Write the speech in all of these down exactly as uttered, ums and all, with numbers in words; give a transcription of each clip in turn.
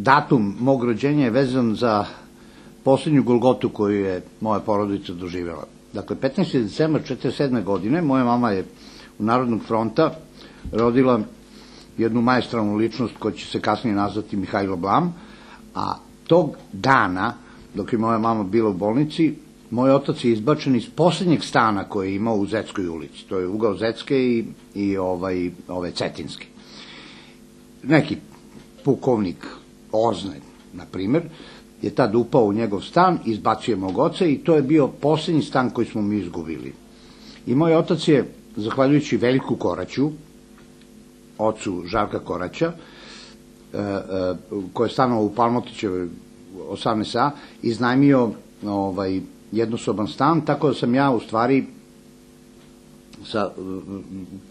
datum mog rođenja je vezan za poslednju golgotu koju je moja porodica doživjela. Dakle, petnaesti decembar četrdeset sedme godine moja mama je u Narodnog fronta rodila jednu maestralnu ličnost koja će se kasnije nazvati Mihajlo Blam, a tog dana, dok je moja mama bila u bolnici, moj otac je izbačen iz poslednjeg stana koje je imao u Zetskoj ulici. To je ugao Zetske i, i ovaj, ove Cetinske. Neki pukovnik Oznaj, na primer, je tad upao u njegov stan, izbacio mog oca i to je bio poslednji stan koji smo mi izgubili. I moj otac je, zahvaljujući Veljku Koraću, ocu Žarka Koraća, koji je stanovao u Palmotićevoj osamnaest a, iznajmio ovaj, jednosoban stan, tako da sam ja u stvari sa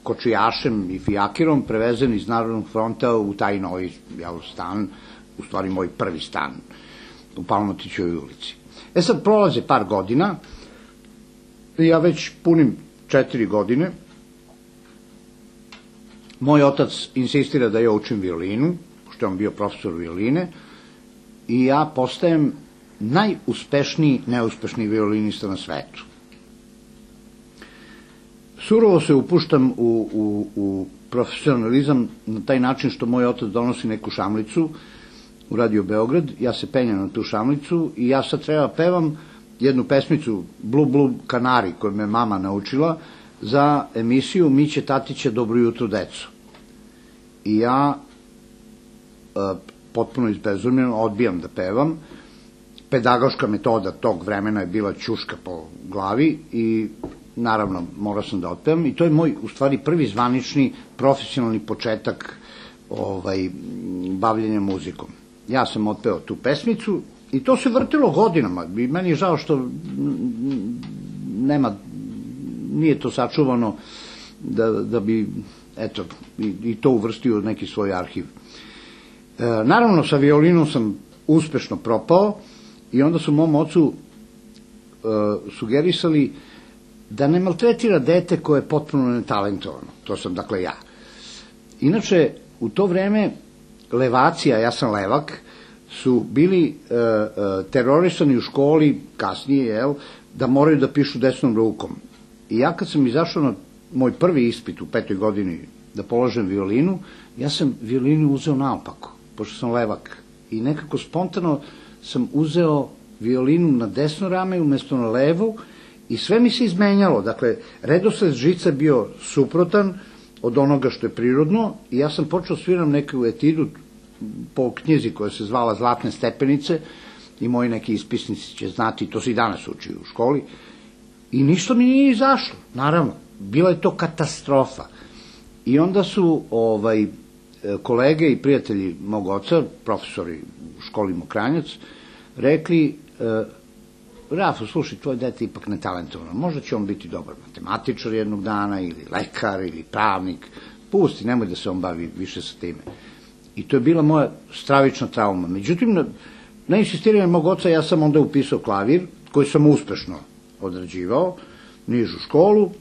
kočijašem i fijakirom prevezen iz Narodnog fronta u taj novi stan, u stvari moj prvi stan u Palmotićevoj ulici. E sad prolaze par godina i ja već punim četiri godine. Moj otac insistira da ja učim violinu, pošto je on bio profesor violine, i ja postajem najuspešniji neuspešni violinista na svetu. Surovo se upuštam u, u, u profesionalizam na taj način što moj otac donosi neku šamlicu u Radio Beograd, ja se penjam na tu šamlicu i ja sad treba pevam jednu pesmicu Blue Blue Kanari koju me mama naučila za emisiju Miće Tatića Dobro jutro deco. I ja e, potpuno izbezumljeno odbijam da pevam. Pedagoška metoda tog vremena je bila ćuška po glavi i naravno morao sam da otpevam i to je moj u stvari prvi zvanični profesionalni početak ovaj, bavljenja muzikom. Ja sam otpeo tu pesmicu i to se vrtilo godinama i meni je žao što nema, nije to sačuvano da, da bi eto, i, i to uvrstio u neki svoj arhiv. E, naravno sa violinom sam uspešno propao i onda su mom ocu e, sugerisali da ne maltretira dete koje je potpuno netalentovano. To sam dakle ja. Inače, u to vreme levacija, ja sam levak, su bili e, e, terorisani u školi, kasnije, jel, da moraju da pišu desnom rukom. I ja kad sam izašao na moj prvi ispit u petoj godini da položem violinu, ja sam violinu uzeo naopako, pošto sam levak. I nekako spontano sam uzeo violinu na desno rame umesto na levo i sve mi se izmenjalo. Dakle, redosled žica bio suprotan od onoga što je prirodno i ja sam počeo sviram neku etidu po knjizi koja se zvala Zlatne stepenice i moji neki ispisnici će znati, to se i danas uči u školi, i ništa mi nije izašlo, naravno. Bila je to katastrofa. I onda su ovaj, kolege i prijatelji mog oca, profesori u školi Mokranjac, rekli, e, Rafo, slušaj, tvoj dete ipak netalentovano, možda će on biti dobar matematičar jednog dana, ili lekar, ili pravnik, pusti, nemoj da se on bavi više sa time. I to je bila moja stravična trauma. Međutim, na, na insistiranje mog oca ja sam onda upisao klavir, koji sam uspešno odrađivao, nižu školu,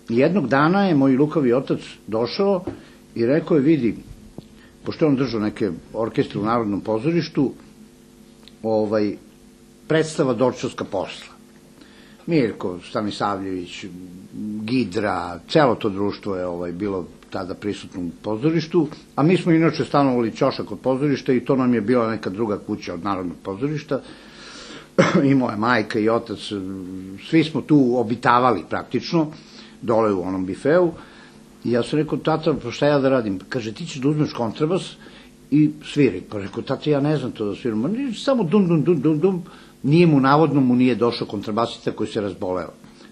i jednog dana je moj lukavi otac došao i rekao je, vidi, pošto je on držao neke orkestre u Narodnom pozorištu, ovaj, predstava Dorčovska posla. Mirko Stanisavljević, Gidra, celo to društvo je ovaj, bilo tada prisutno u pozorištu, a mi smo inače stanovali ćošak od pozorišta i to nam je bila neka druga kuća od Narodnog pozorišta. I moja majka i otac, svi smo tu obitavali praktično, dole u onom bifeu. I ja sam rekao, tata, pa šta ja da radim? Kaže, ti ćeš da uzmeš kontrabas i sviri. Pa rekao, tata, ja ne znam to da sviram. Samo dum, dum, dum, dum, dum. Nije mu, navodno mu nije došao kontrabasista koji se razboleo.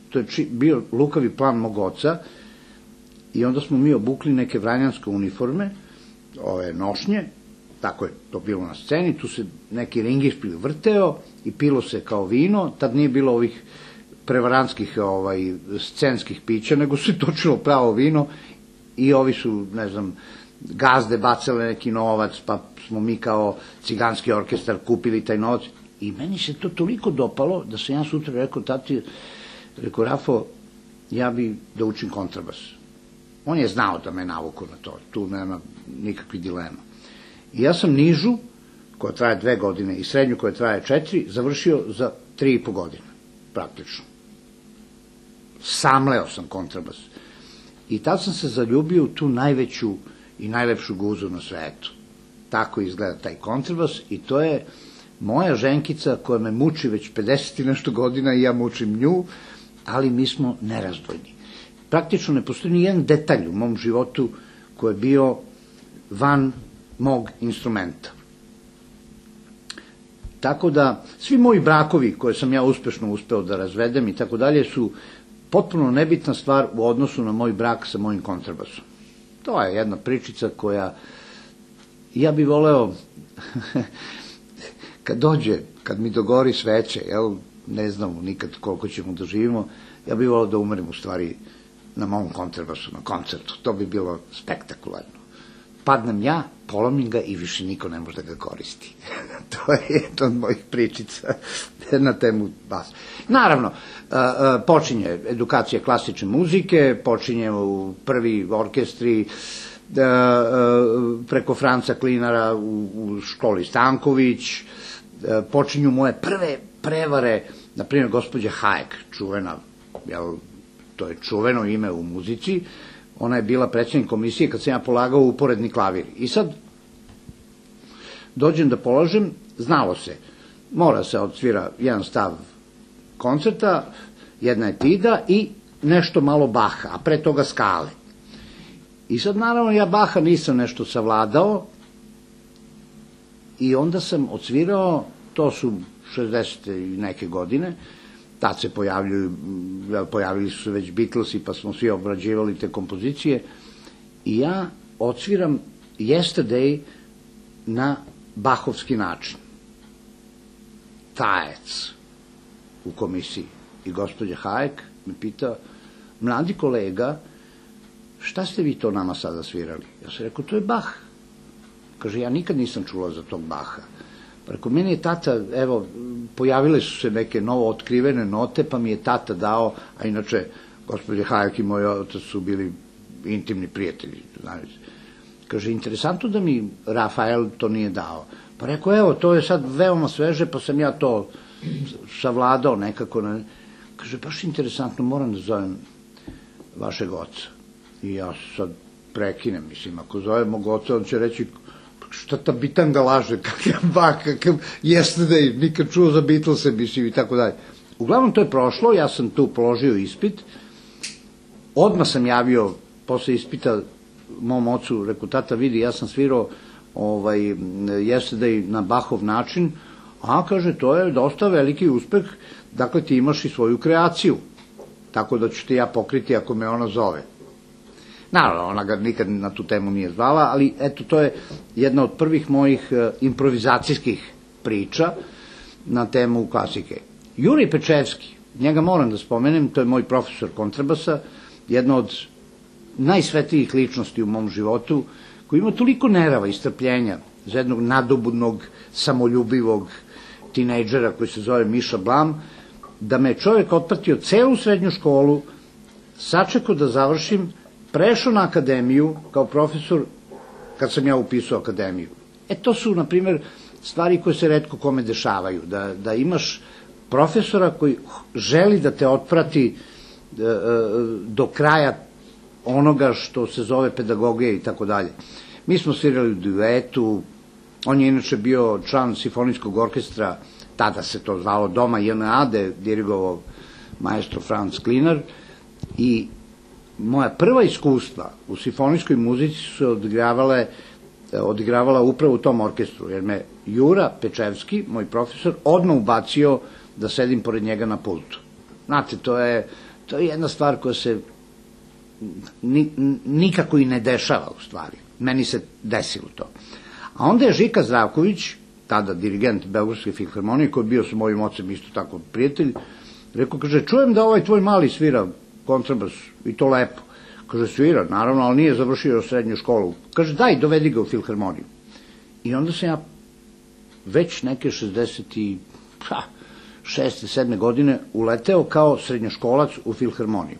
To je bio lukavi plan mog oca i onda smo mi obukli neke vranjanske uniforme, ove nošnje, tako je to bilo na sceni, tu se neki ringišpil vrteo i pilo se kao vino, tad nije bilo ovih prevarantskih ovaj, scenskih pića, nego se točilo pravo vino i ovi su, ne znam, gazde bacale neki novac, pa smo mi kao ciganski orkestar kupili taj novac. I meni se to toliko dopalo da sam ja sutra rekao, tati, rekao, Rafo, ja bi da učim kontrabas. On je znao da me navuku na to, tu nema nikakvih dilema. I ja sam nižu koja traje dve godine, i srednju koja traje četiri, završio za tri i po godine, praktično. Samleo sam kontrabas. I tad sam se zaljubio u tu najveću i najlepšu guzu na svetu. Tako izgleda taj kontrabas i to je moja ženkica koja me muči već pedeset i nešto godina i ja mučim nju, ali mi smo nerazdvojni. Praktično ne postoji ni jedan detalj u mom životu koji je bio van mog instrumenta. Tako da, svi moji brakovi koje sam ja uspešno uspeo da razvedem i tako dalje su potpuno nebitna stvar u odnosu na moj brak sa mojim kontrabasom. To je jedna pričica koja, ja bih voleo, kad dođe, kad mi dogori sveće, jel, ne znamo nikad koliko ćemo da živimo, ja bih voleo da umrem u stvari na mom kontrabasu, na koncertu. To bi bilo spektakularno. Padnem ja, polomim ga i više niko ne može da ga koristi. To je jedna od mojih pričica na temu basa. Naravno, počinje edukacija klasične muzike, počinje u prvi orkestri, preko Franca Klinara u školi Stanković, počinju moje prve prevare, na primjer gospođa Hayek, čuvena, jel, to je čuveno ime u muzici, ona je bila predsjednik komisije kad sam ja polagao uporedni klavir. I sad dođem da polažem, znalo se, mora se odsvira jedan stav koncerta, jedna etida i nešto malo Baha, a pre toga skale. I sad naravno ja Baha nisam nešto savladao i onda sam odsvirao, to su šezdesete i neke godine, tad se pojavljuju, pojavili su se već Beatlesi, pa smo svi obrađivali te kompozicije, i ja odsviram Yesterday na bahovski način. Taec u komisiji. I gospođa Hayek me pita, mladi kolega, šta ste vi to nama sada svirali? Ja sam rekao, to je Bach. Kaže, ja nikad nisam čula za tog Baha. Preko meni je tata, evo, pojavile su se neke novo otkrivene note, pa mi je tata dao, a inače, gospođe Hayek i moj otac su bili intimni prijatelji. Kaže, interesantno da mi Rafael to nije dao. Pa rekao, evo, to je sad veoma sveže, pa sam ja to savladao nekako. Kaže, baš interesantno, moram da zovem vašeg oca. I ja sad prekinem, mislim, ako zovem mog oca, on će reći, šta ta bitanga laže, kakav Bach, kakav Yesterday, nikad čuo za Beatlese, mislim, i tako dalje. Uglavnom, to je prošlo, ja sam tu položio ispit, odmah sam javio, posle ispita, mom ocu, rekao, tata, vidi, ja sam svirao ovaj, Yesterday na Bachov način, a, kaže, to je dosta veliki uspeh, dakle, ti imaš i svoju kreaciju, tako da ću te ja pokriti ako me ona zove. Naravno, ona ga nikad na tu temu nije zvala, ali eto, to je jedna od prvih mojih improvizacijskih priča na temu klasike. Jurij Pečevski, njega moram da spomenem, to je moj profesor kontrabasa, jedna od najsvetlijih ličnosti u mom životu, koji ima toliko nerava i strpljenja za jednog nadobudnog, samoljubivog tinejdžera koji se zove Miša Blam, da me čovjek otpratio celu srednju školu, sačekao da završim, prešao na akademiju kao profesor kad sam ja upisao akademiju. E, to su, na primjer, stvari koje se retko kome dešavaju, da, da imaš profesora koji želi da te otprati e, e, do kraja onoga što se zove pedagogija i tako dalje. Mi smo svirali u duetu, on je inače bio član simfonijskog orkestra, tada se to zvalo Doma J N A, da je dirigovao maestro Franz Klinar, i moja prva iskustva u simfonijskoj muzici su odigravale, odigravala upravo u tom orkestru, jer me Jura Pečevski, moj profesor, odmah ubacio da sedim pored njega na pultu. Znate, to je, to je jedna stvar koja se ni, nikako i ne dešava u stvari. Meni se desilo to. A onda je Žika Zdravković, tada dirigent Beogradske filharmonije, koji je bio sa mojim ocem isto tako prijatelj, rekao, kaže, čujem da ovaj tvoj mali svira kontrabas i to lepo. Kaže, svira, naravno, ali nije završio srednju školu. Kaže, daj, dovedi ga u filharmoniju. I onda sam ja već neke šezdeset šeste sedme godine uleteo kao srednjoškolac u filharmoniju,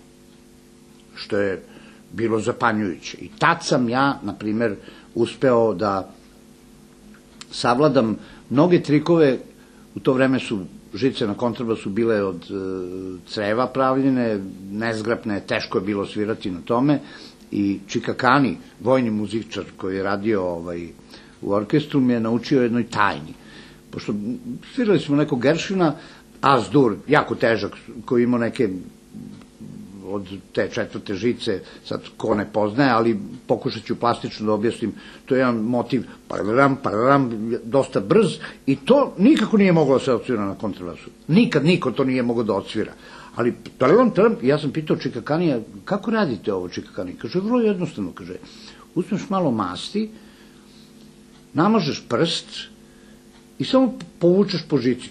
što je bilo zapanjujuće. I tad sam ja, na primer, uspeo da savladam mnoge trikove. U to vreme su žice na kontrabasu bile od creva pravljene, nezgrapne, teško je bilo svirati na tome, i Čika Kani, vojni muzičar koji je radio u orkestru, mi je naučio jednoj tajni. Pošto svirali smo nekog Gershwina, As-Dur, jako težak, koji ima neke od te četvrte žice, sad ko ne poznaje, ali pokušat ću plastično da objasnim, to je jedan motiv, pararam, pararam, dosta brz, i to nikako nije moglo da se odsvira na kontrabasu. Nikad niko to nije moglo da odsvira. Ali, pararam, pararam, ja sam pitao Čika Kanija, kako radite ovo, Čika Kani? Kaže, vrlo jednostavno, kaže, uzmeš malo masti, namažeš prst i samo povučeš po žici.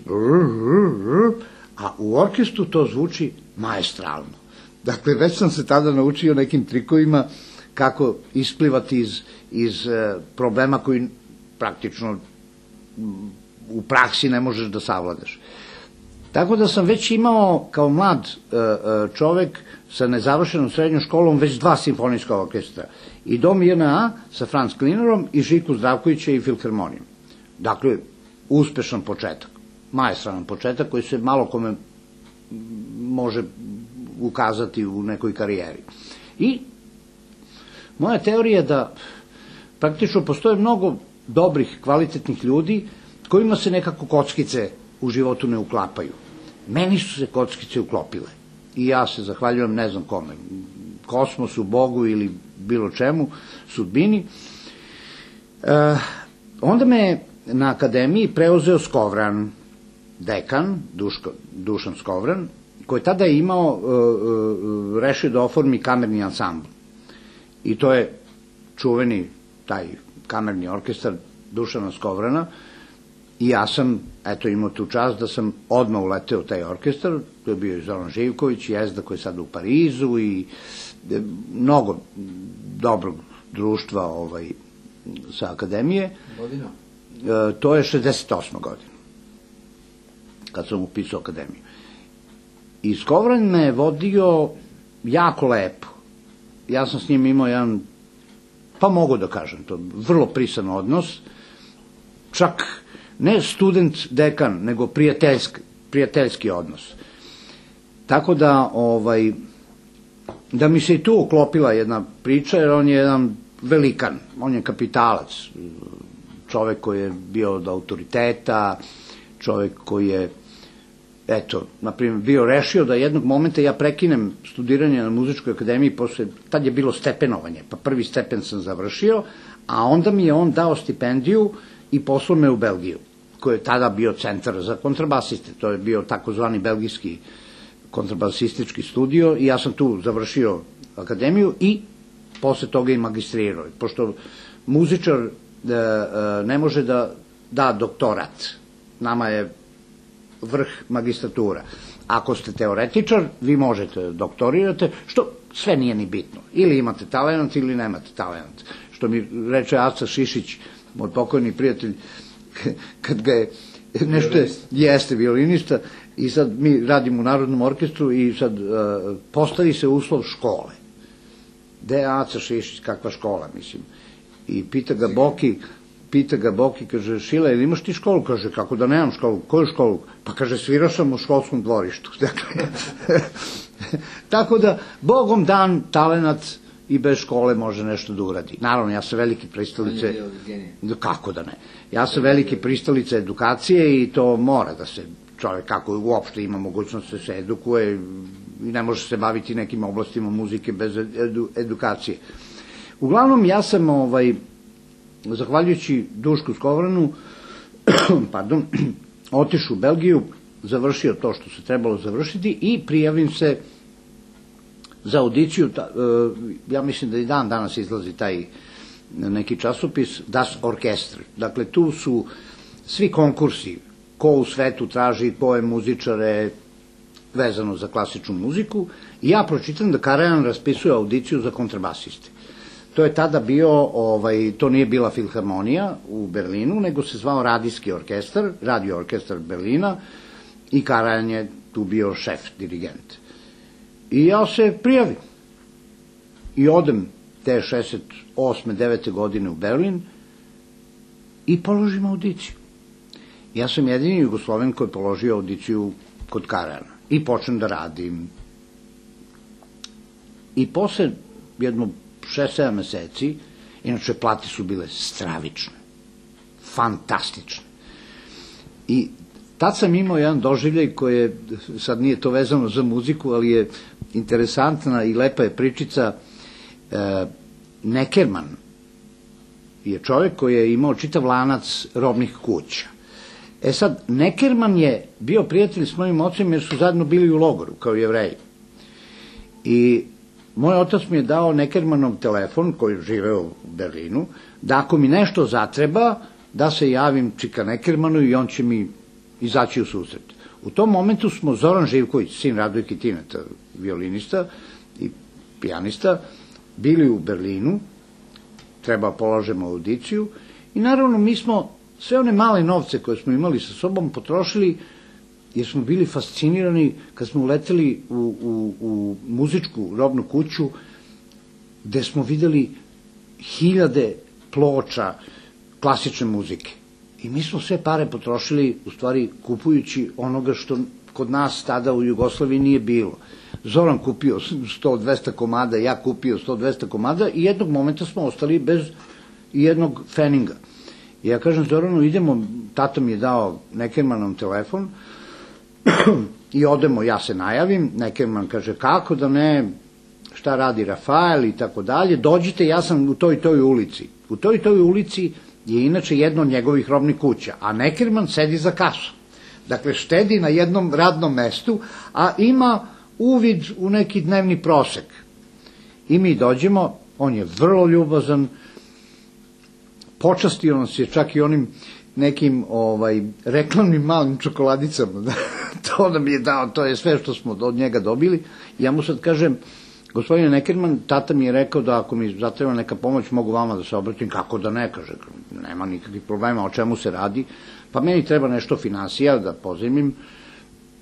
A u orkestru to zvuči maestralno. Dakle, već sam se tada naučio nekim trikovima kako isplivati iz problema koji praktično u praksi ne možeš da savladaš. Tako da sam već imao kao mlad čovek sa nezavršenom srednjom školom već dva simfonijska orkestra. I Dom J N A sa Franz Klinerom i Žiku Zdravkovića i Filharmonijom. Dakle, uspešan početak, maestralan početak koji se malo kome može ukazati u nekoj karijeri. I moja teorija je da praktično postoje mnogo dobrih, kvalitetnih ljudi kojima se nekako kockice u životu ne uklapaju. Meni su se kockice uklopile. I ja se zahvaljujem ne znam kome, kosmosu, Bogu ili bilo čemu, sudbini. Onda me na akademiji preuzeo Skovran, dekan, Dušan Skovran, koji tada je imao, rešio da oformi kamerni ansambl. I to je čuveni taj kamerni orkestar Dušana Skovrana, i ja sam, eto, imao tu čast da sam odmah uleteo u taj orkestar. To je bio i Zoran Živković, Jezda koji je sada u Parizu, i mnogo dobrog društva sa akademije. Godina? To je šezdeset osma godina, kad sam upisao akademiju. I Skovran me je vodio jako lepo. Ja sam s njim imao jedan, pa mogu da kažem to, vrlo prisan odnos, čak ne student-dekan, nego prijateljski odnos. Tako da, da mi se i tu uklopila jedna priča, jer on je jedan velikan, on je kapitalac, čovek koji je bio od autoriteta, čovek koji je, eto, naprimjer, bio rešio da jednog momenta ja prekinem studiranje na muzičkoj akademiji, posle, tad je bilo stepenovanje, pa prvi stepen sam završio, a onda mi je on dao stipendiju i poslao me u Belgiju, koji je tada bio centar za kontrabasiste, to je bio takozvani belgijski kontrabasistički studio, i ja sam tu završio akademiju i posle toga i magistrirao, pošto muzičar ne može da da doktorat, nama je vrh magistratura. Ako ste teoretičar, vi možete da doktorirate, što sve nije ni bitno. Ili imate talent, ili nemate talent. Što mi reče Aca Šišić, moj pokojni prijatelj, kad ga je nešto, jeste violinista, i sad mi radimo u Narodnom orkestru i sad postavi se uslov škole. Gde je Aca Šišić, kakva škola, mislim. I pita ga Boki, pita ga Boki, kaže, Šila, ili imaš ti školu? Kaže, kako da nemam školu? Koju školu? Pa kaže, svirao sam u školskom dvorištu. Tako da, Bogom dan, talenat i bez škole može nešto da uradi. Naravno, ja sam veliki pristalice... Kako da ne? Ja sam veliki pristalice edukacije i to mora da se čovek, kako uopšte ima mogućnost da se edukuje i ne može se baviti nekim oblastima muzike bez edukacije. Uglavnom, ja sam, zahvaljujući Dušku Skovranu, pardon, otišao u Belgiju, završio to što se trebalo završiti i prijavim se za audiciju, ja mislim da i dan danas izlazi taj neki časopis, Das Orchester. Dakle, tu su svi konkursi, ko u svetu traži koje muzičare vezano za klasičnu muziku, i ja pročitam da Karajan raspisuje audiciju za kontrabasiste. To je tada bio, to nije bila Filharmonija u Berlinu, nego se zvao Radijski orkestar, Radio orkestar Berlina, i Karajan je tu bio šef, dirigent. I ja se prijavim i odem te šezdeset osme devete godine u Berlin i položim audiciju. Ja sam jedini Jugosloven koji je položio audiciju kod Karana i počnem da radim. I posle jedno šest sedam meseci, inače plate su bile stravične, fantastične. I tad sam imao jedan doživljaj koji je, sad nije to vezano za muziku, ali je interesantna i lepa je pričica. e, Neckerman je čovjek koji je imao čitav lanac robnih kuća. E sad, Neckerman je bio prijatelj s mojim ocem jer su zajedno bili u logoru, kao Jevreji. I moj otac mi je dao Neckermanov telefon, koji je živeo u Berlinu, da ako mi nešto zatreba, da se javim čika Neckermanu i on će mi izaći u susret. U tom momentu smo Zoran Živković, sin Radojke Tineta, violinista i pijanista, bili u Berlinu, treba položemo audiciju i naravno mi smo sve one male novce koje smo imali sa sobom potrošili jer smo bili fascinirani kad smo uleteli u, u, u muzičku robnu kuću gde smo videli hiljade ploča klasične muzike. I mi smo sve pare potrošili, u stvari, kupujući onoga što kod nas tada u Jugoslaviji nije bilo. Zoran kupio sto dvesta komada, ja kupio sto dvesta komada i jednog momenta smo ostali bez jednog feninga. I ja kažem Zoranu, idemo, tata mi je dao Neckermanom telefon i odemo, ja se najavim, Neckerman kaže kako da ne, šta radi Rafael i tako dalje, dođite, ja sam u toj i toj ulici. U toj i toj ulici je inače jedno od njegovih robnih kuća, a Neckerman sedi za kasom. Dakle, štedi na jednom radnom mestu, a ima uvid u neki dnevni prosek. I mi dođemo, on je vrlo ljubazan, počastio nas je čak i onim nekim ovaj, reklamnim malim čokoladicama. To nam je dao, to je sve što smo od njega dobili. Ja mu sad kažem, gospodine Neckerman, tata mi je rekao da ako mi zatreba neka pomoć, mogu vama da se obratim. Kako da ne, kaže, nema nikakvih problema, o čemu se radi. Pa meni treba nešto finansija da pozajmim.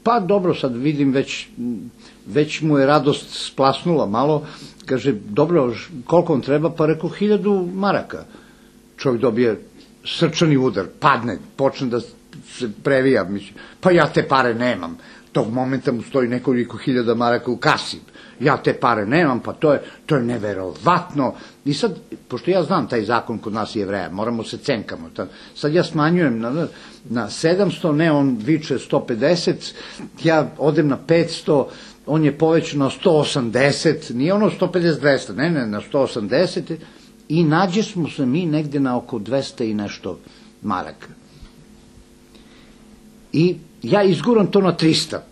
Pa dobro, sad vidim, već, već mu je radost splasnula malo. Kaže, dobro, koliko vam treba? Pa rekao, hiljadu maraka. Čovjek dobije srčani udar, padne, počne da se previja. Mislim, pa ja te pare nemam. Tog momenta mu stoji nekoliko hiljada maraka u kasi. Ja te pare nemam, pa to je, to je neverovatno. I sad, pošto ja znam taj zakon kod nas Jevreja, moramo se cenkamo. Sad ja smanjujem na, na sedamsto, ne, on viče sto pedeset, ja odem na petsto, on je povećan na sto osamdeset, nije ono sto pedeset dvesta, ne, ne, na sto osamdeset, i nađe smo se mi negde na oko dvesta i nešto maraka. I ja izguram to na trista.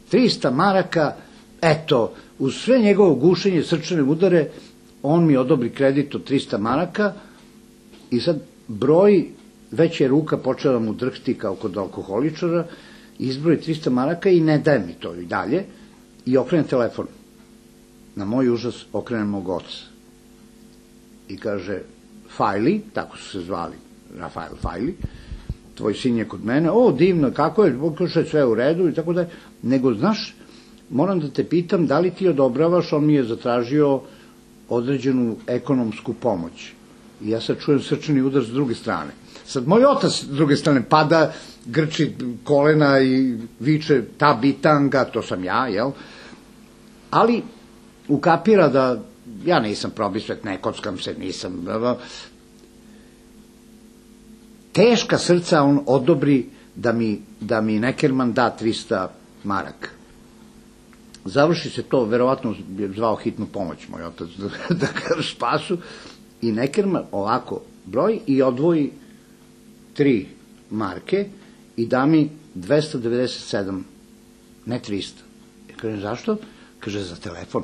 trista maraka, eto, uz sve njegovo gušenje, srčane udare, on mi odobri kredit od trista maraka i sad broj, već je ruka počela da mu drhti kao kod alkoholičara, izbroji trista maraka i ne daje mi to i dalje i okrene telefon. Na moj užas okrene mog oca. I kaže, Fajli, tako su se zvali, Rafael Fajli, tvoj sin je kod mene, o, divno, kako je, kaže, sve u redu i tako da je, nego, znaš, moram da te pitam, da li ti odobravaš, on mi je zatražio određenu ekonomsku pomoć. I ja sad čujem srčani udar s druge strane. Sad moj otac s druge strane pada, grči kolena i viče ta bitanga, to sam ja, jel? Ali ukapira da ja nisam probisvet, ne kockam se, nisam. Teška srca on odobri da mi, da mi Neckerman da trista maraka. Završi se to, verovatno je zvao hitnu pomoć moj otac da, da ga spasu, i Neckerman ovako broj i odvoji tri marke i da mi dvesta devedeset sedam, ne trista. Ja kažem, zašto? Kaže, za telefon.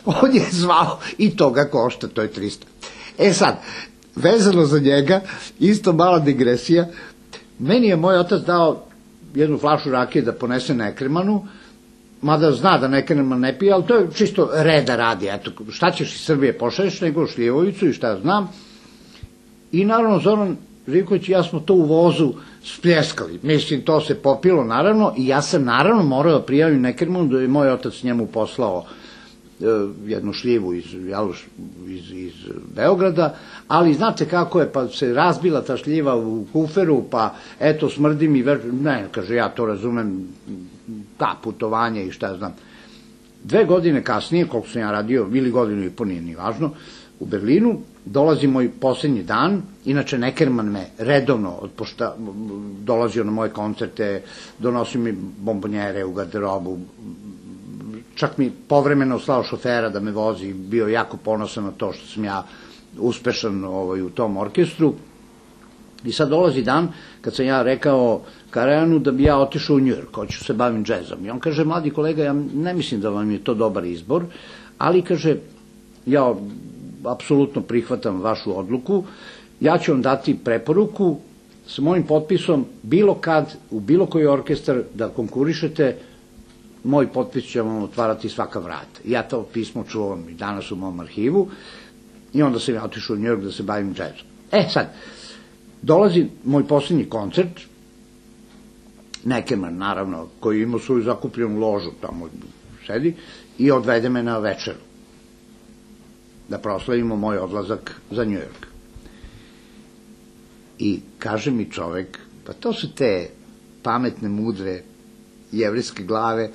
On je zvao i to ga košta, to je trista. E sad, vezano za njega, isto mala digresija, meni je moj otac dao jednu flašu rakije da ponese Neckermanu, mada zna da Neckerman ne pije, ali to je čisto reda radi, eto, šta ćeš iz Srbije pošalješ, nego šljivovicu i šta ja znam. I naravno Zoran Živković i ja smo to u vozu spljeskali, mislim, to se popilo naravno, i ja sam naravno morao da prijavim Neckermanu da je moj otac njemu poslao jednu šljivu iz, iz, iz Beograda, ali znate kako je, pa se razbila ta šljiva u kuferu, pa eto smrdi mi, ne, kaže, ja to razumem, ta putovanje i šta ja znam. Dve godine kasnije, koliko sam ja radio, ili godinu i po, nije ni važno, u Berlinu, dolazi moj poslednji dan, inače Neckermann me redovno otpošta, dolazio na moje koncerte, donosio mi bombonjere u garderobu, čak mi povremeno slao šofera da me vozi, bio jako ponosan na to što sam ja uspešan ovaj, u tom orkestru. I sad dolazi dan kad sam ja rekao Karajanu da bi ja otišao u Njujork, hoću se bavim džezom. I on kaže, mladi kolega, ja ne mislim da vam je to dobar izbor, ali kaže, ja apsolutno prihvatam vašu odluku, ja ću vam dati preporuku sa mojim potpisom, bilo kad, u bilo koji orkestar da konkurišete, moj potpis će vam otvarati svaka vrata. Ja to pismo čuvam i danas u mom arhivu i onda sam ja otišao u Njujork da se bavim džezom. E sad, dolazi moj posljednji koncert, Neckermann, naravno, koji ima svoju zakupljenu ložu, tamo sedi, i odvede me na večeru, da proslavimo moj odlazak za Njujork. I kaže mi čovek, pa to su te pametne, mudre, jevrejske glave,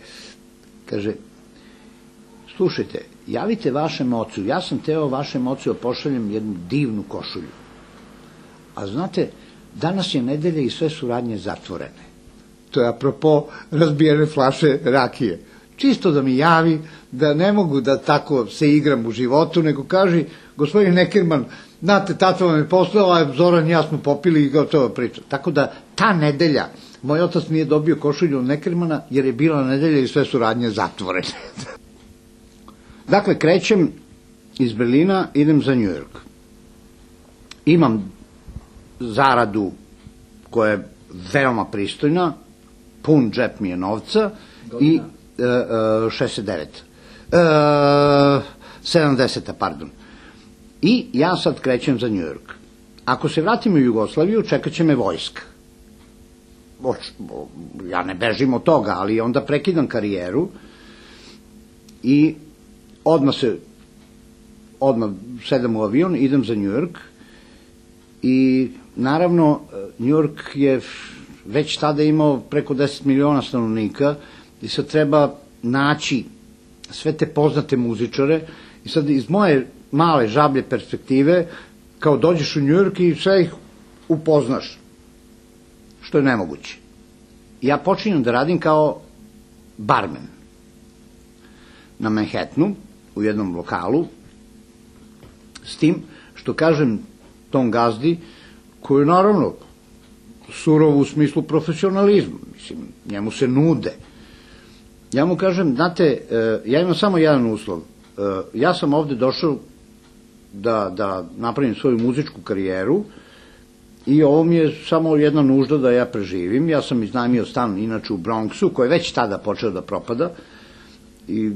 kaže, slušajte, javite vašem ocu, ja sam teo vašem ocu da pošaljem jednu divnu košulju. A znate, danas je nedelja i sve su radnje zatvorene. To je apropo razbijene flaše rakije. Čisto da mi javi da ne mogu da tako se igram u životu, nego kaži, gospodin Neckermann, znate, tata vam je poslao, a Zoran i ja smo popili i gotovo priča. Tako da ta nedelja, moj otac nije dobio košulju od Neckermana, jer je bila nedelja i sve su radnje zatvorene. Dakle, krećem iz Berlina, idem za Njujork. Imam zaradu koja je veoma pristojna, pun džep mi je novca i šezdeset devet. sedamdeseta, pardon. I ja sad krećem za Njujork. Ako se vratim u Jugoslaviju, čekat će me vojska. Ja ne bežim od toga, ali onda prekidam karijeru i odmah se, odmah sedam u avion, idem za Njujork i naravno Njujork je već tada imao preko deset miliona stanovnika i sad treba naći sve te poznate muzičare i sad iz moje male žablje perspektive kao dođeš u Njujork i sve ih upoznaš, što je nemoguće. Ja počinjem da radim kao barmen na Manhattanu u jednom lokalu, s tim što kažem tom gazdi, koji je naravno surov u smislu profesionalizma, mislim, njemu se nude. Ja mu kažem, znate, ja imam samo jedan uslov, ja sam ovde došao da, da napravim svoju muzičku karijeru i ovo mi je samo jedna nužda da ja preživim. Ja sam iznajmio stan inače u Bronxu, koji je već tada počeo da propada i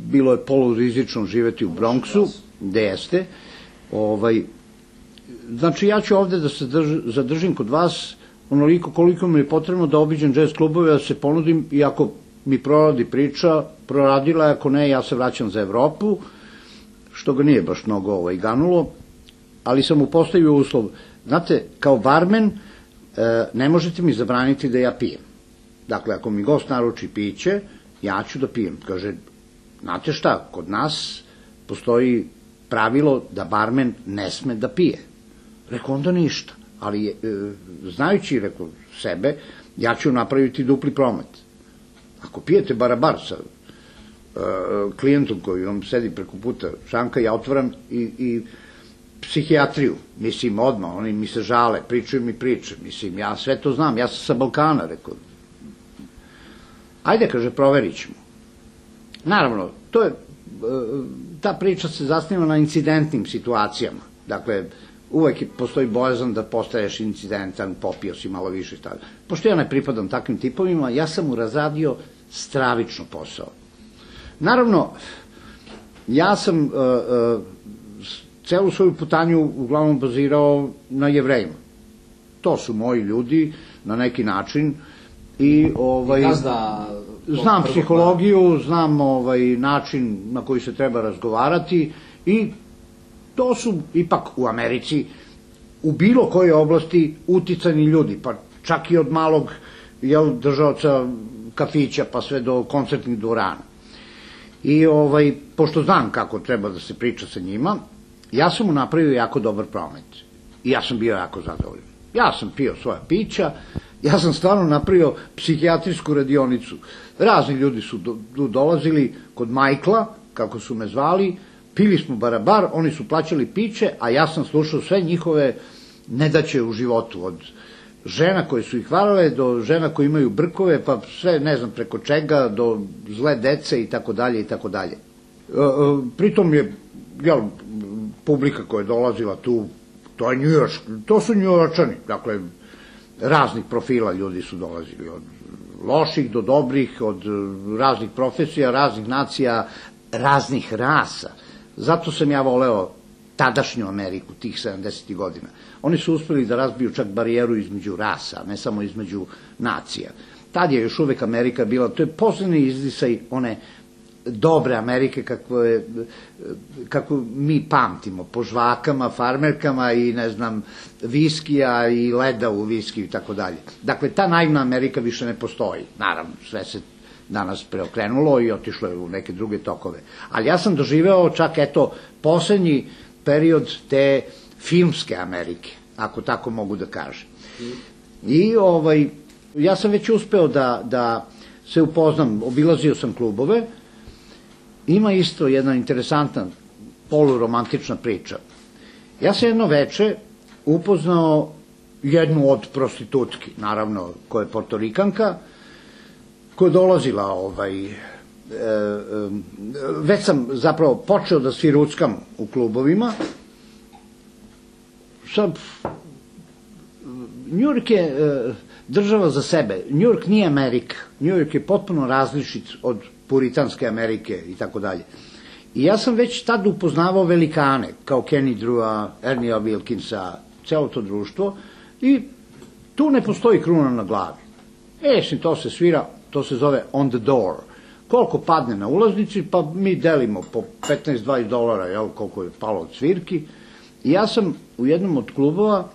bilo je polurizično živeti u Bronxu, gde jeste. Ovaj, znači, ja ću ovde da se zadržim kod vas onoliko koliko mi je potrebno da obiđem jazz klubove, da se ponudim i ako mi proradi priča, proradila je, ako ne, ja se vraćam za Evropu, što ga nije baš mnogo ovaj, ganulo, ali sam mu postavio uslov. Znate, kao barmen ne možete mi zabraniti da ja pijem. Dakle, ako mi gost naruči piće, ja ću da pijem. Kaže, znate šta, kod nas postoji pravilo da barmen ne sme da pije. Rekao, onda ništa. Ali, znajući, rekao, sebe, ja ću napraviti dupli promet. Ako pijete barabar sa klijentom koji vam sedi preko puta šanka, ja otvaram i, i psihijatriju, mislim, odmah, oni mi se žale, pričaju mi priče, mislim, ja sve to znam, ja sam sa Balkana, rekao. Ajde, kaže, proverit ćemo. Naravno, to je, ta priča se zasniva na incidentnim situacijama, dakle, uvek postoji bojazan da postaješ incidentan, popio si malo više, tada. Pošto ja ne pripadam takvim tipovima, ja sam mu razradio stravično posao. Naravno, ja sam celu svoju putanju uglavnom bazirao na Jevrejima. To su moji ljudi, na neki način. I ovaj... Gazda Znam psihologiju, znam način na koji se treba razgovarati i to su ipak u Americi u bilo kojoj oblasti uticani ljudi, pa čak i od malog držaoca kafića pa sve do koncertnih dvorana. I pošto znam kako treba da se priča sa njima, ja sam mu napravio jako dobar promet i ja sam bio jako zadovoljan. Ja sam pio svoja pića, ja sam stvarno napravio psihijatrijsku radionicu. Razni ljudi su dolazili kod Majkla, kako su me zvali, pili smo barabar, oni su plaćali piće, a ja sam slušao sve njihove nedaće u životu, od žena koje su ih varale, do žena koje imaju brkove, pa sve, ne znam, preko čega, do zle dece i tako dalje i tako dalje. Pritom je, jel, publika koja je dolazila tu, to je njujoršk, to su njujorčani, dakle, raznih profila ljudi su dolazili, od loših do dobrih, od raznih profesija, raznih nacija, raznih rasa. Zato sam ja voleo tadašnju Ameriku, tih sedamdesetih godina. Oni su uspeli da razbiju čak barijeru između rasa, ne samo između nacija. Tad je još uvek Amerika bila, to je poslednji izdisaj one dobre Amerike kako mi pamtimo, po žvakama, farmerkama i, ne znam, viskija i leda u viskiju i tako dalje. Dakle, ta naivna Amerika više ne postoji. Naravno, sve se danas preokrenulo i otišlo je u neke druge tokove. Ali ja sam doživeo čak, eto, poslednji period te filmske Amerike, ako tako mogu da kažem. I ja sam već uspeo da se upoznam, obilazio sam klubove. Ima isto jedna interesantna poluromantična priča. Ja sam jedno veče upoznao jednu od prostitutki, naravno, koja je Portorikanka, koja je dolazila, već sam zapravo počeo da sviruckam u klubovima. Sad, Njujork je država za sebe. Njujork nije Amerika. Njujork je potpuno različit od puritanske Amerike i tako dalje. I ja sam već tad upoznavao velikane, kao Kenny Drewa, Ernieja Wilkinsa, celo to društvo, i tu ne postoji kruna na glavi. E, to se svira, to se zove on the door. Koliko padne na ulaznici, pa mi delimo po petnaest do dvadeset dolara, jel, koliko je palo od svirki. I ja sam u jednom od klubova,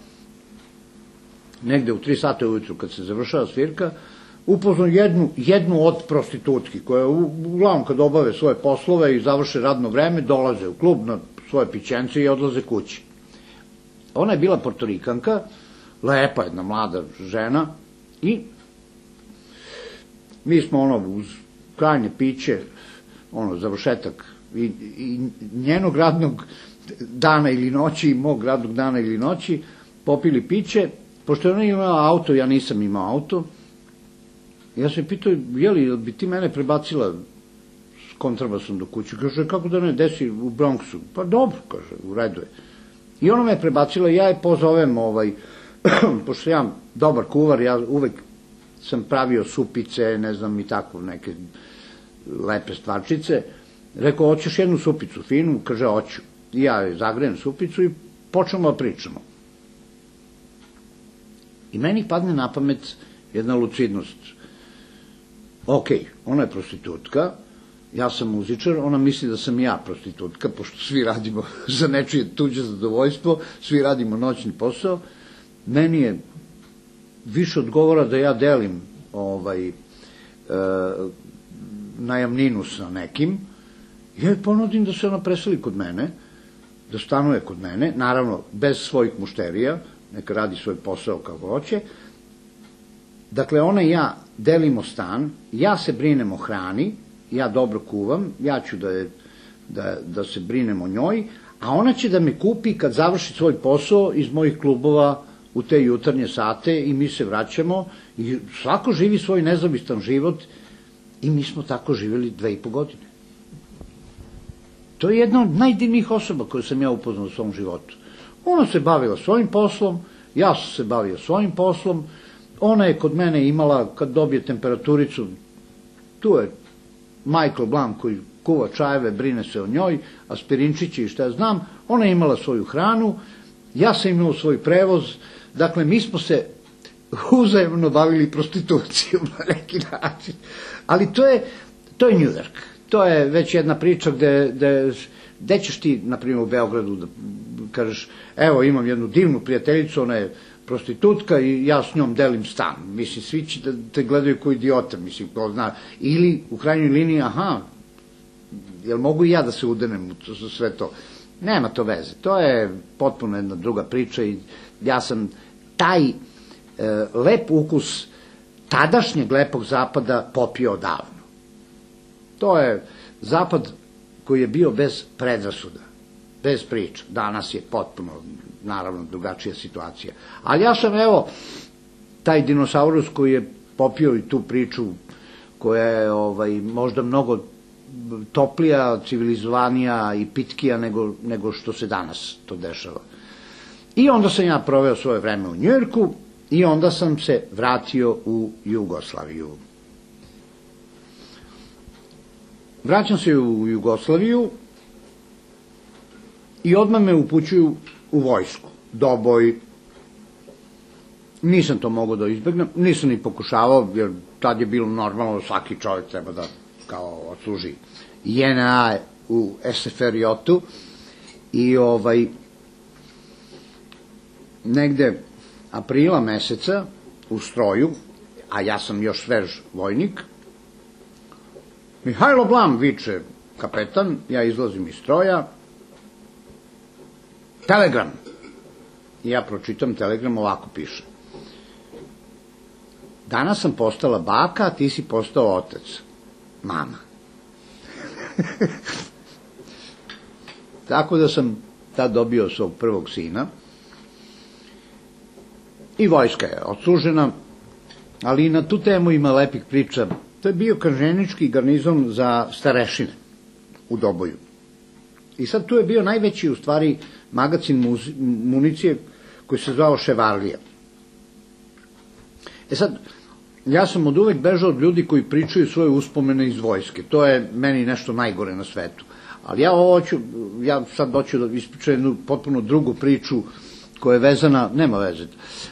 negde u tri sata ujutru kad se završava svirka, upoznao jednu od prostitutki, koja uglavnom kad obave svoje poslove i završe radno vreme, dolaze u klub na svoje pićence i odlaze kući. Ona je bila Portorikanka, lepa jedna mlada žena, i mi smo ono uz krajnje piće, ono, završetak i njenog radnog dana ili noći i mog radnog dana ili noći, popili piće. Pošto je ona imala auto, ja nisam imao auto, ja sam pitao, jeli, bi ti mene prebacila s kontrabasom do kuće? Kaže, kako da ne, desi u Bronxu? Pa dobro, kaže, u redu je. I ona me prebacila i ja je pozovem, pošto ja dobar kuvar, ja uvek sam pravio supice, ne znam, i tako, neke lepe stvarčice. Rekao, hoćeš jednu supicu finu? Kaže, hoću. I ja je zagrejem supicu i počnemo da pričamo. I meni padne na pamet jedna lucidnost. Ok, ona je prostitutka, ja sam muzičar, ona misli da sam ja prostitutka, pošto svi radimo za nečije tuđe zadovoljstvo, svi radimo noćni posao. Meni je više odgovora da ja delim najamninu sa nekim, ja joj ponudim da se ona preseli kod mene, da stanuje kod mene, naravno bez svojih mušterija, neka radi svoj posao kao hoće. Dakle, ona i ja delimo stan, ja se brinem o hrani, ja dobro kuvam, ja ću da se brinem o njoj, a ona će da me kupi kad završi svoj posao iz mojih klubova u te jutarnje sate i mi se vraćamo i svako živi svoj nezavistan život i mi smo tako živjeli dve i po godine. To je jedna od najdivnijih osoba koju sam ja upoznao u svom životu. Ona se bavila svojim poslom, ja sam se bavio svojim poslom, ona je kod mene imala, kad dobije temperaturicu, tu je Michael Blanc koji kuva čajeve, brine se o njoj, aspirinčići i šta ja znam, ona je imala svoju hranu, ja sam imao svoj prevoz, dakle mi smo se uzajemno bavili prostitucijom na neki način. Ali to je, to je New York. To je već jedna priča gde, gde, gde ćeš ti, na primjer, u Beogradu da kažeš, evo, imam jednu divnu prijateljicu, ona je prostitutka i ja s njom delim stan. Mislim, svi će da te gledaju kao idiota, mislim, ko zna. Ili, u krajnjoj liniji, aha, jel mogu i ja da se udenem u sve to? Nema to veze. To je potpuno jedna druga priča i ja sam taj e, lep ukus tadašnjeg lepog zapada popio odavno. To je zapad koji je bio bez predrasuda, bez priča. Danas je potpuno, naravno, drugačija situacija. Ali ja sam, evo, taj dinosaurus koji je popio i tu priču koja je ovaj, možda mnogo toplija, civilizovanija i pitkija nego, nego što se danas to dešava. I onda sam ja proveo svoje vreme u Njujorku i onda sam se vratio u Jugoslaviju. Vraćam se u Jugoslaviju i odmah me upućuju u vojsku. Doboj. Nisam to mogao da izbegnem, nisam ni pokušavao, jer tad je bilo normalno, svaki čovjek treba da kao odsluži J N A u S F R J-u i ovaj negde aprila meseca u stroju, a ja sam još svež vojnik, Mihajlo Blam, viče kapetan, ja izlazim iz stroja, telegram. I ja pročitam telegram, ovako piše. Danas sam postala baka, a ti si postao otac. Mama. Tako da sam tad dobio svog prvog sina i vojska je odslužena, ali i na tu temu ima lepih priča. To je bio kažnjenički garnizon za starešine u Doboju. I sad tu je bio najveći, u stvari, magacin municije koji se zvao Ševarlija. E sad, ja sam od uvek bežao od ljudi koji pričaju svoje uspomene iz vojske. To je meni nešto najgore na svetu. Ali ja ovo hoću, ja sad hoću da ispričam jednu potpuno drugu priču koja je vezana, nema veze,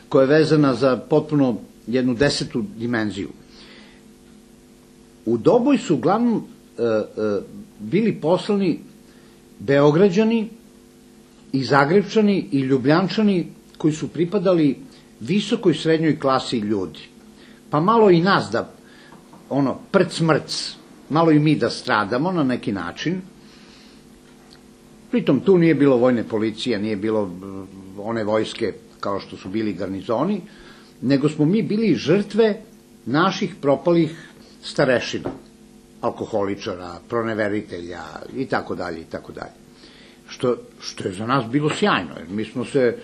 koja je vezana za potpuno jednu desetu dimenziju. U Doboj su uglavnom e, e, bili poslani Beograđani i Zagrebčani i Ljubljančani koji su pripadali visokoj srednjoj klasi ljudi. Pa malo i nas da, ono, prc mrc, malo i mi da stradamo na neki način. Pritom tu nije bilo vojne policije, nije bilo one vojske kao što su bili garnizoni, nego smo mi bili žrtve naših propalih starešina, alkoholičara, proneveritelja i tako dalje i tako dalje. Što, što je za nas bilo sjajno, jer mi smo se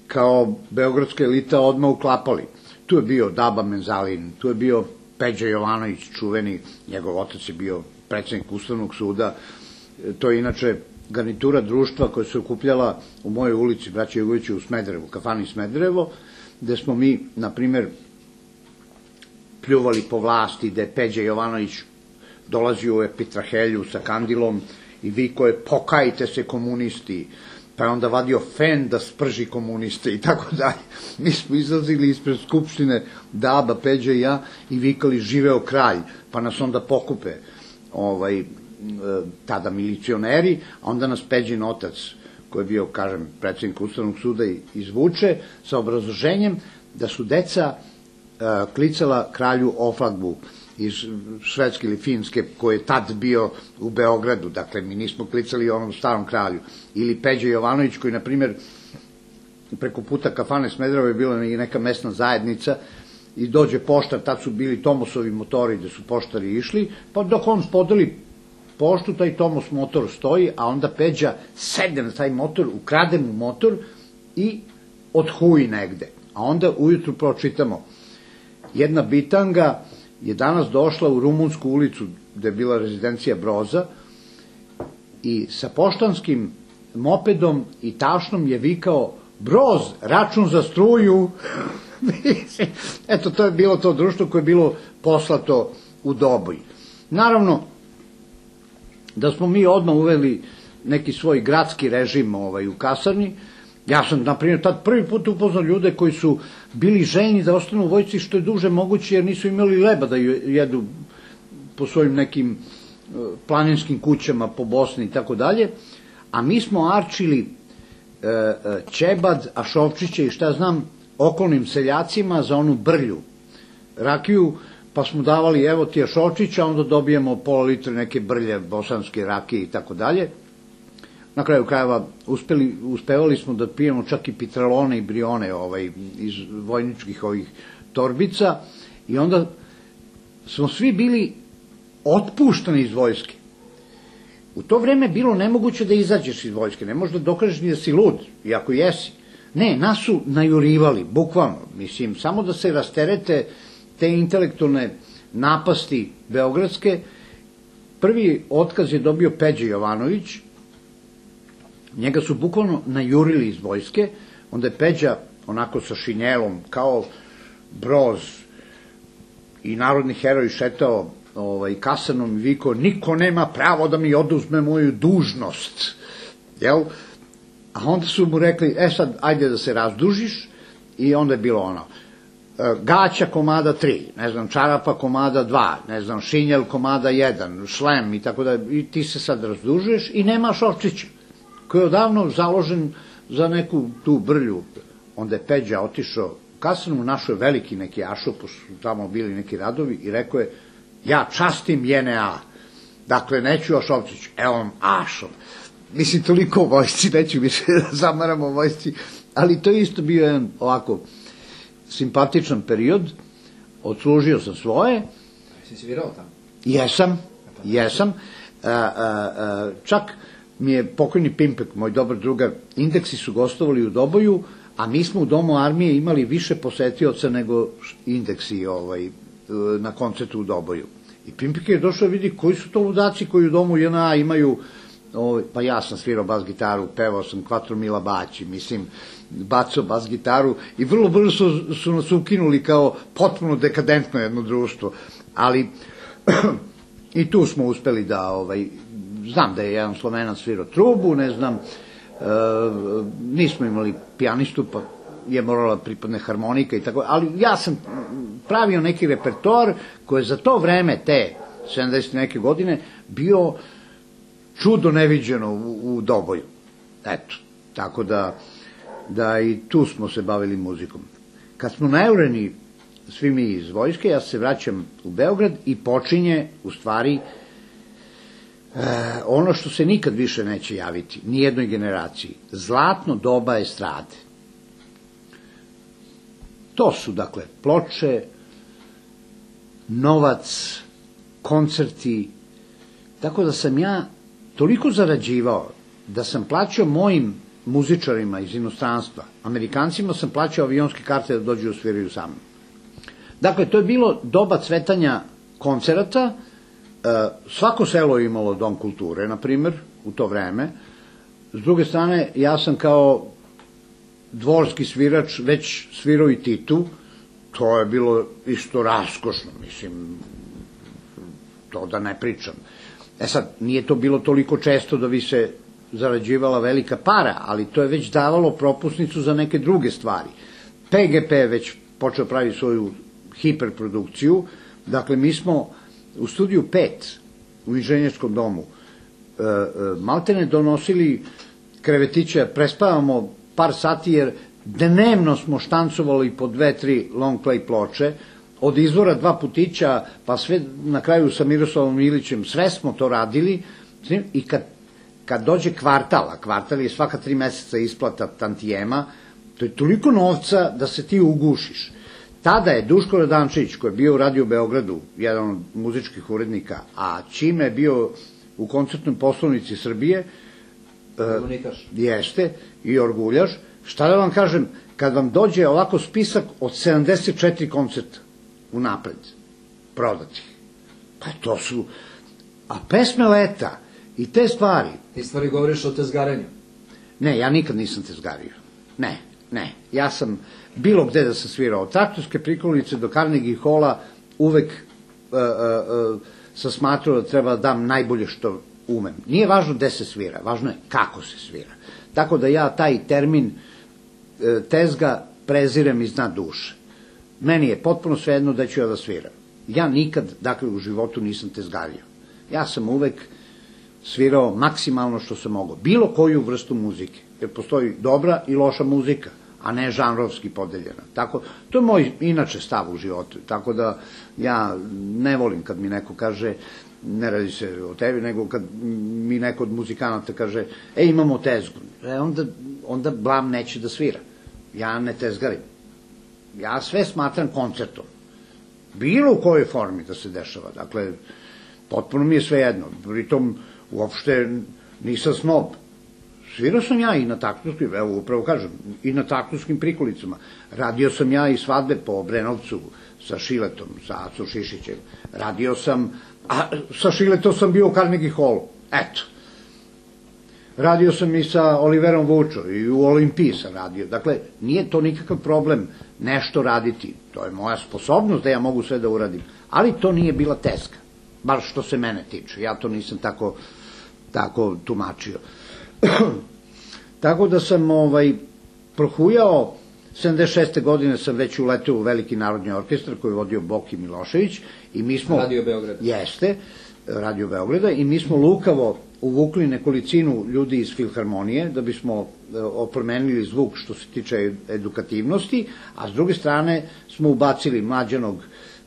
kao beogradska elita odmah uklapali. Tu je bio Daba Menzalin, tu je bio Peđa Jovanović, čuveni, njegov otac je bio predsjednik Ustavnog suda, to je inače garnitura društva koja se okupljala u mojoj ulici Braće Jugovića u Smederevu, kafani Smederevo, gde smo mi, na primer, pljuvali po vlasti, gde je Peđa Jovanović dolazio u Epitrahelju sa kandilom i vikao je pokajte se komunisti, pa je onda vadio fen da sprži komuniste i tako dalje. Mi smo izlazili ispred Skupštine, Daba, Peđa i ja, i vikali živeo kralj, pa nas onda pokupe ovaj, tada milicioneri, a onda nas Peđin otac, koji je bio, kažem, predsjednik Ustavnog suda, izvuče sa obrazloženjem da su deca klicala kralju Oflagbu iz Švedske ili Finske, koji je tad bio u Beogradu, dakle mi nismo klicali onom starom kralju, ili Peđa Jovanović koji, na primjer, preko puta kafane Smederevo je bila i neka mesna zajednica i dođe poštar, tad su bili Tomosovi motori gde su poštari išli, pa dok on podeli poštu, taj Tomos motor stoji, a onda Peđa sedne na taj motor, ukrade mu motor i odhuji negde, a onda ujutru pročitamo jedna bitanga je danas došla u Rumunsku ulicu, gde je bila rezidencija Broza, i sa poštanskim mopedom i tašnom je vikao Broz, račun za struju. Eto, to je bilo to društvo koje je bilo poslato u Doboj. Naravno, da smo mi odmah uveli neki svoj gradski režim ovaj, u kasarni, Ja sam, na primjer, tad prvi put upoznao ljude koji su bili željni da ostanu u vojsci što je duže moguće, jer nisu imali leba da jedu po svojim nekim planinskim kućama po Bosni i tako dalje, a mi smo arčili ćebad, ašovčiće i šta znam, okolnim seljacima za onu brlju rakiju, pa smo davali, evo ti ašovčića, onda dobijemo pola litre neke brlje, bosanske rakije i tako dalje. Na kraju krajeva uspeli, uspevali smo da pijemo čak i pitralone i brione ovaj, iz vojničkih ovih torbica i onda smo svi bili otpuštani iz vojske. U to vreme bilo nemoguće da izađeš iz vojske, ne možeš da dokažeš ni da si lud, iako jesi. Ne, nas su najurivali, bukvalno, mislim, samo da se rasterete te intelektualne napasti beogradske. Prvi otkaz je dobio Peđa Jovanović, njega su bukvalno najurili iz vojske, onda je Peđa onako sa šinjelom, kao Broz i narodni heroj šetao ovaj, kasanom i vikao, niko nema pravo da mi oduzme moju dužnost, jel? A onda su mu rekli, e sad, ajde da se razdužiš, i onda je bilo ono, gaća komada tri, ne znam, čarapa komada dva, ne znam, šinjel komada jedan, šlem i tako da, i ti se sad razdužuješ i nemaš ovčića, koji je odavno založen za neku tu brlju. Onda je Peđa otišao u kasarnu, našao je veliki neki ašop, su tamo bili neki radovi, i rekao je, ja častim J N A, dakle, neću Ašovčić, evo vam Ašov. Mislim, toliko o vojsci, neću više da zamaram o vojsci, ali to je isto bio jedan ovako simpatičan period, odslužio sam svoje. Si svirao tamo? Jesam, jesam. A, a, a, čak mi je pokojni Pimpek, moj dobar drugar, Indeksi su gostovali u Doboju, a mi smo u Domu armije imali više posetioca nego Indeksi ovaj, na koncertu u Doboju. I Pimpek je došao vidi koji su to ludaci koji u Domu J N A imaju, ovaj, pa ja sam svirao bas gitaru, pevao sam Quattro Mila Baći, mislim, bacao bas gitaru i vrlo brzo su, su nas ukinuli kao potpuno dekadentno jedno društvo, ali i tu smo uspeli da, ovaj, znam da je jedan Slovenac svirao trubu, ne znam, e, nismo imali pijanistu, pa je morala pripadne harmonika i tako, ali ja sam pravio neki repertoar koji je za to vreme, te sedamdesete neke godine, bio čudo neviđeno u, u Doboju. Eto, tako da, da i tu smo se bavili muzikom. Kad smo najureni svi mi iz vojske, ja se vraćam u Beograd i počinje, u stvari, e, ono što se nikad više neće javiti, nijednoj generaciji, zlatno doba estrade. To su, dakle, ploče, novac, koncerti, tako da sam ja toliko zarađivao da sam plaćao mojim muzičarima iz inostranstva, Amerikancima sam plaćao avionske karte da dođu i sviraju sa mnom. Dakle, to je bilo doba cvetanja koncerata, svako selo je imalo dom kulture, na primer, u to vreme. S druge strane, ja sam kao dvorski svirač već svirao i Titu, to je bilo isto raskošno, mislim, to da ne pričam. E sad, nije to bilo toliko često da bi se zarađivala velika para, ali to je već davalo propusnicu za neke druge stvari. P G P je već počeo praviti svoju hiperprodukciju, dakle, mi smo u studiju pet u inženjerskom domu e, e, maltene donosili krevetiće, prespavamo par sati, jer dnevno smo štancovali po dve, tri long play ploče, od izvora dva putića, pa sve na kraju sa Miroslavom Ilićem, sve smo to radili, i kad, kad dođe kvartal, a kvartal je svaka tri meseca isplata tantijema, to je toliko novca da se ti ugušiš. Tada je Duško Radančević, koji je bio u Radio Beogradu, jedan od muzičkih urednika, a čime je bio u koncertnoj poslovnici Srbije, Orguljaš. Jeste, i orguljaš. Šta da vam kažem, kad vam dođe ovako spisak od sedamdeset četiri koncerta unapred, prodatih, pa to su, a pesme leta i te stvari. Ti stvari govoriš o tezgarenju. Ne, ja nikad nisam tezgario. Ne, ne. Ja sam bilo gde da sam svirao, od Traktorske prikolice do Carnegie Halla, uvek uh, uh, uh, sam smatrao da treba da dam najbolje što umem. Nije važno gde se svira, važno je kako se svira. Tako da ja taj termin tezga prezirem iz dna duše. Meni je potpuno svejedno da ću ja da sviram. Ja nikad, dakle, u životu nisam tezgario. Ja sam uvek svirao maksimalno što sam mogao. Bilo koju vrstu muzike. Jer postoji dobra i loša muzika, a ne žanrovski podeljena. Tako, to je moj inače stav u životu. Tako da ja ne volim kad mi neko kaže, ne radi se o tebi, nego kad mi neko od muzikanata kaže, e, imamo tezgu. E, onda, onda blam neće da svira. Ja ne tezgarim. Ja sve smatram koncertom. Bilo u kojoj formi da se dešava. Dakle, potpuno mi je sve jedno. Pritom, uopšte nisam snob. Svirao sam ja i na taktovskim, evo upravo kažem, i na taktovskim prikolicama. Radio sam ja i svadbe po Obrenovcu sa Šiletom, sa Acom Šišićem. Radio sam, a sa Šiletom sam bio u Carnegie Hallu. Eto. Radio sam i sa Oliverom Vučo i u Olimpiji sam radio. Dakle, nije to nikakav problem nešto raditi. To je moja sposobnost da ja mogu sve da uradim. Ali to nije bila tezga. Bar što se mene tiče. Ja to nisam tako, tako tumačio. Tako da sam ovaj, prohujao, sedamdeset šeste godine sam već uleteo u Veliki narodni orkestar koji je vodio Boki Milošević. I mi smo, Radio Beograd. Jeste, Radio Beograda, i mi smo lukavo uvukli nekolicinu ljudi iz Filharmonije da bismo oplemenili zvuk što se tiče edukativnosti, a s druge strane smo ubacili mlađanog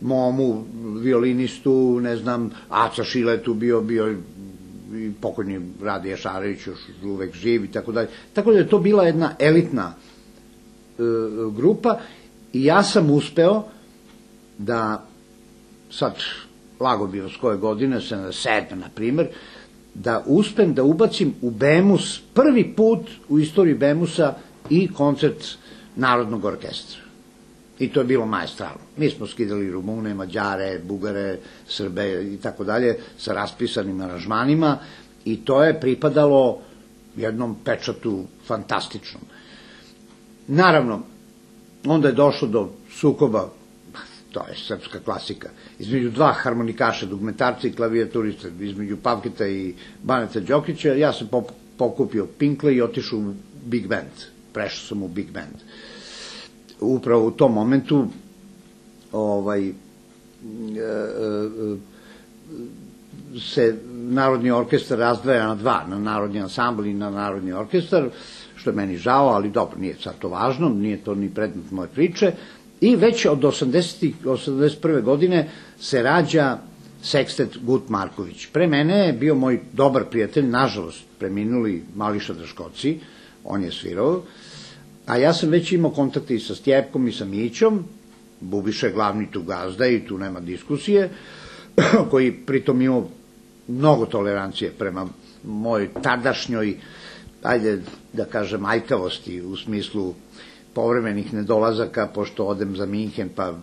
Momu, violinistu, ne znam, Aca Šiletu, bio, bio i pokojni Radija Šarević, još uvek živ i tako dalje. Tako da je to bila jedna elitna e, grupa i ja sam uspeo da, sad lago bi vas koje godine, sedamdeset sedme na primer, da uspem da ubacim u Bemus, prvi put u istoriji Bemusa i koncert Narodnog orkestra. I to je bilo maestralno. Mi smo skidali Rumune, Mađare, Bugare, Srbe i tako dalje sa raspisanim aranžmanima i to je pripadalo jednom pečatu fantastičnom. Naravno, onda je došlo do sukoba, to je srpska klasika, između dva harmonikaša, dugmetarca i klavijaturista, između Pavketa i Baneta Đokića. Ja sam pokupio Pinkle i otišao u Big Band. Prešao sam u Big Band. Upravo u tom momentu ovaj, se Narodni orkestar razdvaja na dva, na Narodni ansambl i na Narodni orkestar, što je meni žao, ali dobro, nije sad to važno, nije to ni predmet moje priče. I već od osamdeset prve godine se rađa sekstet Gut Marković. Pre mene je bio moj dobar prijatelj, nažalost preminuli Mališa Draškoci, on je svirao, a ja sam već imao kontakte i sa Stjepkom i sa Mićom, Bubiša je glavni tu gazda i tu nema diskusije, koji pritom imao mnogo tolerancije prema mojoj tadašnjoj, ajde da kažem, aljkavosti u smislu povremenih nedolazaka, pošto odem za Minhen, pa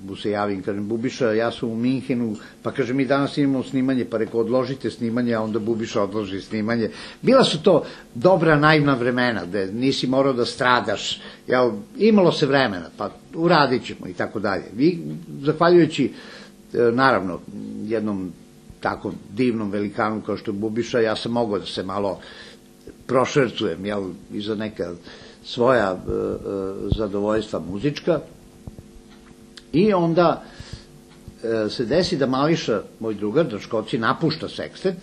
mu se javim, kažem, Bubiša, ja sam u Minhenu, pa kaže, mi danas imamo snimanje, pa reko, odložite snimanje, a onda Bubiša odloži snimanje. Bila su to dobra, naivna vremena, gde nisi morao da stradaš, ja, imalo se vremena, pa uradit ćemo i tako dalje. I, zahvaljujući, naravno, jednom tako divnom velikanu kao što je Bubiša, ja sam mogao da se malo prošercujem, jel, i za neka svoja e, e, zadovoljstva muzička. I onda e, se desi da Mališa, moj drugar, Draškoci, napušta sekstet,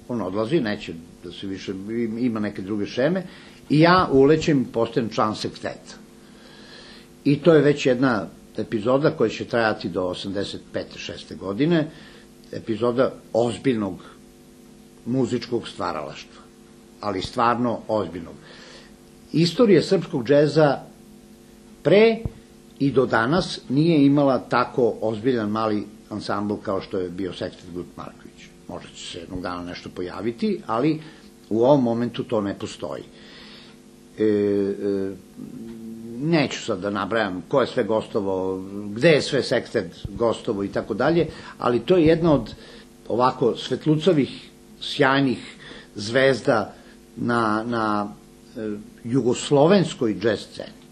on odlazi, neće da se više, ima neke druge šeme, i ja ulećem i postajem član seksteta. I to je već jedna epizoda koja će trajati do osamdeset pete šeste godine, epizoda ozbiljnog muzičkog stvaralaštva, ali stvarno ozbiljnog. Istorija srpskog džeza pre i do danas nije imala tako ozbiljan mali ansambl kao što je bio sekstet Gut Marković. Možda će se jednog dana nešto pojaviti, ali u ovom momentu to ne postoji. E, e, neću sad da nabrajam ko je sve gostovao, gde je sve sekstet gostovao i tako dalje, ali to je jedna od ovako svetlucavih, sjajnih zvezda na, na jugoslovenskoj džez sceni.